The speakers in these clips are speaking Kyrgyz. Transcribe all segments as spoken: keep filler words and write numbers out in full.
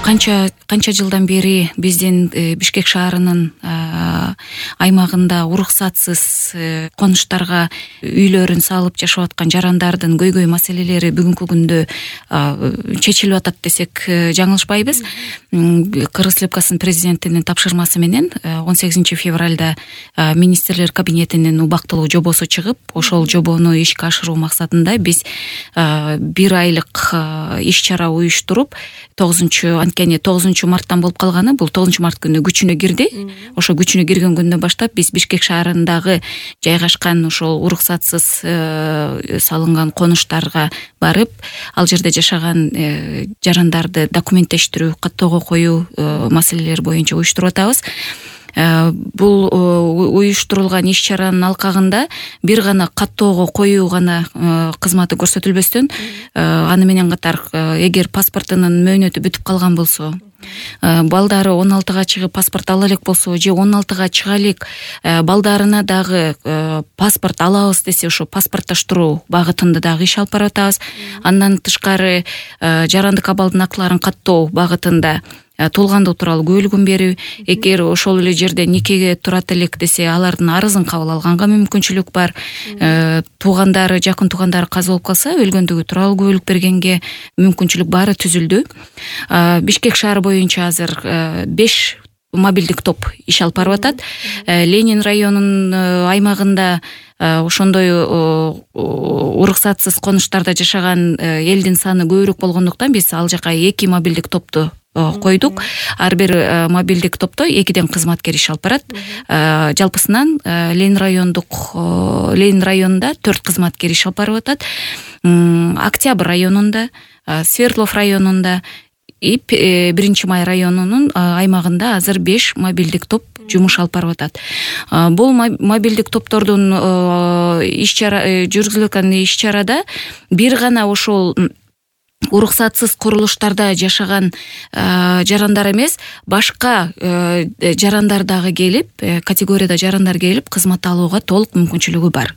канча канча жылдан бери биздин Бишкек шаарынын аймагында уруксатсыз конуштарга үйлөрүн салып жашап аткан жарандардын көйгөй маселелери бүгүнкү күндө чечилип атат десек жаңылышпайбыз. Кыргыз Республикасынын президентинин тапшырмасы менен он сегизинчи февралда министрлер кабинетинин убактылуу жобосу чыгып, ошол жобону ишке ашыруу максатында биз бир айлык иш-чара уюштуруп, тогузунчу анткени тогузунчу марттан болуп калганы, бул тогузунчу март күнү күчүнө кирди. Ошо күчүнө кирген күндөн баштап биз Бишкек шаарындагы жайгашкан ошол уруксатсыз салынган конуштарга барып, ал жерде жашаган жарандарды документтештирүү, каттоого коюу маселелери боюнча уюштуруп атабыз. Бул уюштурулган иш-чаранын алкагында бир гана каттоого коюу гана кызматы көрсөтүлбөстөн, аны менен катар эгер паспортунун мөөнөтү бүтүп калган болсо, балдары он алтыга чыгып паспорт ала элек болсо, же он алтыга чыга элек балдарына дагы паспорт алабыз десе, ошо паспорттоштуруу багытында дагы иш алып барып атабыз. Андан тышкары жарандык абалдын актыларын каттоо багытында туулгандуу тууралуу күбөлүгүн берүү, эгер ошол эле жерде никеге турат элек десе, алардын арызын кабыл алганга мүмкүнчүлүк бар. Туугандары, жакын туугандары каза болуп калса, өлгөндүгү тууралуу күбөлүк бергенге мүмкүнчүлүк баары түзүлдү. Бишкек шаары боюнча азыр беш мобилдик топ иш алып барып атат. Ленин районунун аймагында ошондой уруксатсыз конуштарда жашаган элдин саны көбүрөөк болгондуктан биз ал жака эки мобилдик топту койдук. Ар бир мобилдик топто экиден кызматкер иш алып барат. Жалпысынан Ленин райондук Ленин районунда төрт кызматкер иш алып барып атат. Октябрь районунда, Свердлов районунда, биринчи май районунун аймагында азыр беш мобилдик топ жумуш алып барып атат. Бул мобилдик топтордун иш-чара жүргүзүлгөн иш-чарада бир гана ошол уруксатсыз курулуштарда жашаган жарандар эмес, башка жарандар дагы келип, категорияда жарандар келип кызмат алууга толук мүмкүнчүлүгү бар.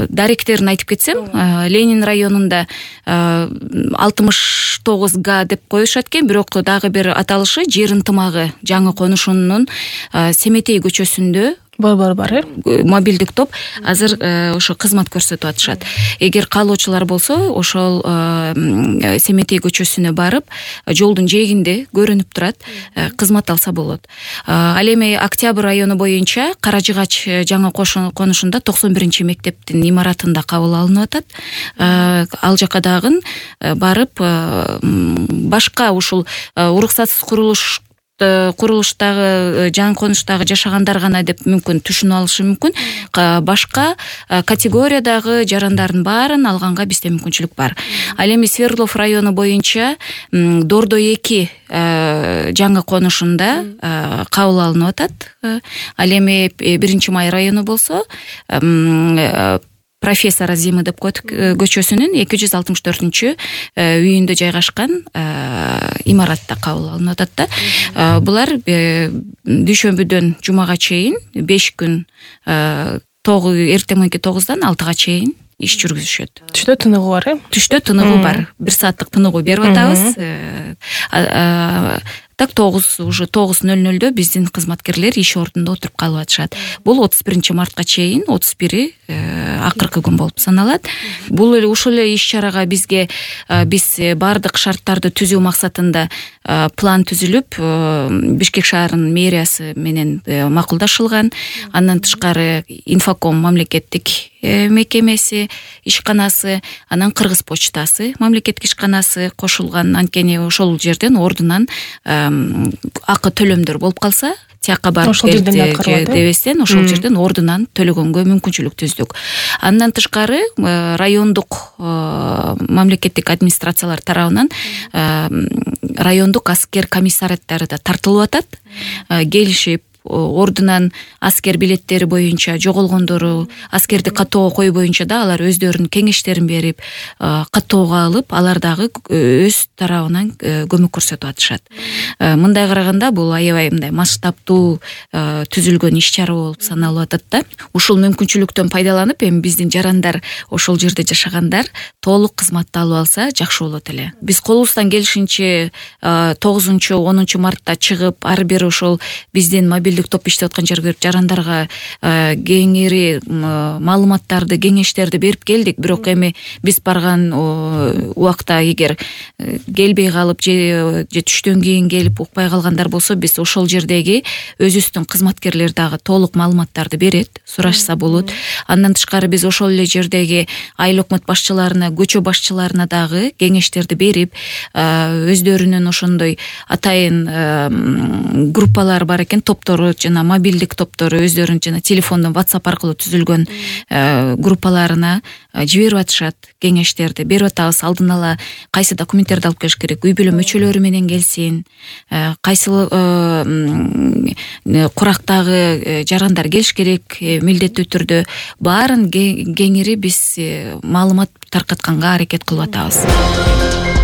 Даректерин айтып кетсем, Ленин районунда алтымыш тогуз га деп коюшат экен, бирок дагы бир аталышы Жер ынтымагы жаңы конушунун Семетей көчөсүндө бар бар э мобилдик топ азыр ошо кызмат көрсөтүп атышат. Эгер каалоочулар болсо, ошол Семетей көчөсүнө барып, жолдун жээгинде көрүнүп турат, кызмат алса болот. Ал эми Октябрь району боюнча Каражыгач жаңы конушунда токсон биринчи мектептин имаратында кабыл алынып атат. Ал жака дагы барып, башка ушул уруксатсыз курулуш курулуштагы жаңы конуштагы жашагандар гана деп мүмкүн түшүнүп алышы мүмкүн. Башка категориядагы жарандардын баарын алганга бизде мүмкүнчүлүк бар. Ал эми Свердлов району боюнча Дордо эки жаңы конушунда кабыл алынып атат. Ал эми биринчи май району болсо Профессор Азимы деп коет көчөсүнүн эки жүз алтымыш төртүнчү үйүндө жайгашкан имаратта кабыл алынып атат да. Булар дүйшөмбүдөн жумага чейин беш күн эртең мененки тогуздан алтыга чейин иш жүргүзүшөт. Түштө тыныгуу бар э? Түштө тыныгуу бар. Бир сааттык тыныгуу берип атабыз. Так тогуз уже тогуз нөл нөлдө биздин кызматкерлер иш ордунда отуруп калып атышат. Бул отуз биринчи мартка чейин, отуз бири акыркы күн болуп саналат. Бул эле ушул эле иш-чарага бизге биз бардык шарттарды түзүү максатында план түзүлүп, Бишкек шаарынын мэриясы менен макулдашылган. Андан тышкары Инфоком мамлекеттик мекемеси, ишканасы, анан Кыргыз почтасы мамлекеттик ишканасы кошулган. Анткени ошол жерден ордунан акы төлөмдөр болуп калса, тияка барып дебестен ошол жерден ордунан төлөгөнгө мүмкүнчүлүк түздүк. Андан тышкары райондук мамлекеттик администрациялар тарабынан райондук аскер комиссариаттары да тартылып атат. Келишип, ордунан аскер билеттери боюнча жоголгондору, аскерди каттоого кою боюнча да алар өздөрүнүн кеңештерин берип, каттоого алып, алар дагы өз тарабынан көмөк көрсөтүп атышат. Мындай караганда бул аябай мындай масштабтуу түзүлгөн иш чара болуп саналып атат да. Ушул мүмкүнчүлүктөн пайдаланып, эми биздин жарандар, ошол жерде жашагандар толук кызматты алып алса жакшы болот эле. Биз колубуздан келишинче тогузунчу онунчу мартта чыгып, ар бир ошол биздин мобилдик топ иштеп аткан жерге берип жарандарга кеңири маалыматтарды, кеңештерди берип келдик. Бирок эми биз барган убакта эгер келбей калып же түштөн кийин келип укпай калгандар болсо, биз ошол жердеги өзүбүздүн кызматкерлер дагы толук маалыматтарды берет, сурашса болот. Андан тышкары биз ошол эле жердеги айыл өкмөт башчыларына, көчө башчыларына дагы кеңештерди берип, өздөрүнүн ошондой атайын группалар бар экен, топтору, жана мобилдик топтору, өздөрүнүн жана телефондон WhatsApp аркылуу түзүлгөн группаларына жиберип атышат, кеңештерди берип атабыз. Алдын ала кайсы документтерди алып келиш керек, үй бүлө мүчөлөрү менен келсин, кайсы курактагы жарандар келиш керек, милдеттүү түрдө баарын кеңири биз маалымат таркатканга аракет кылып атабыз.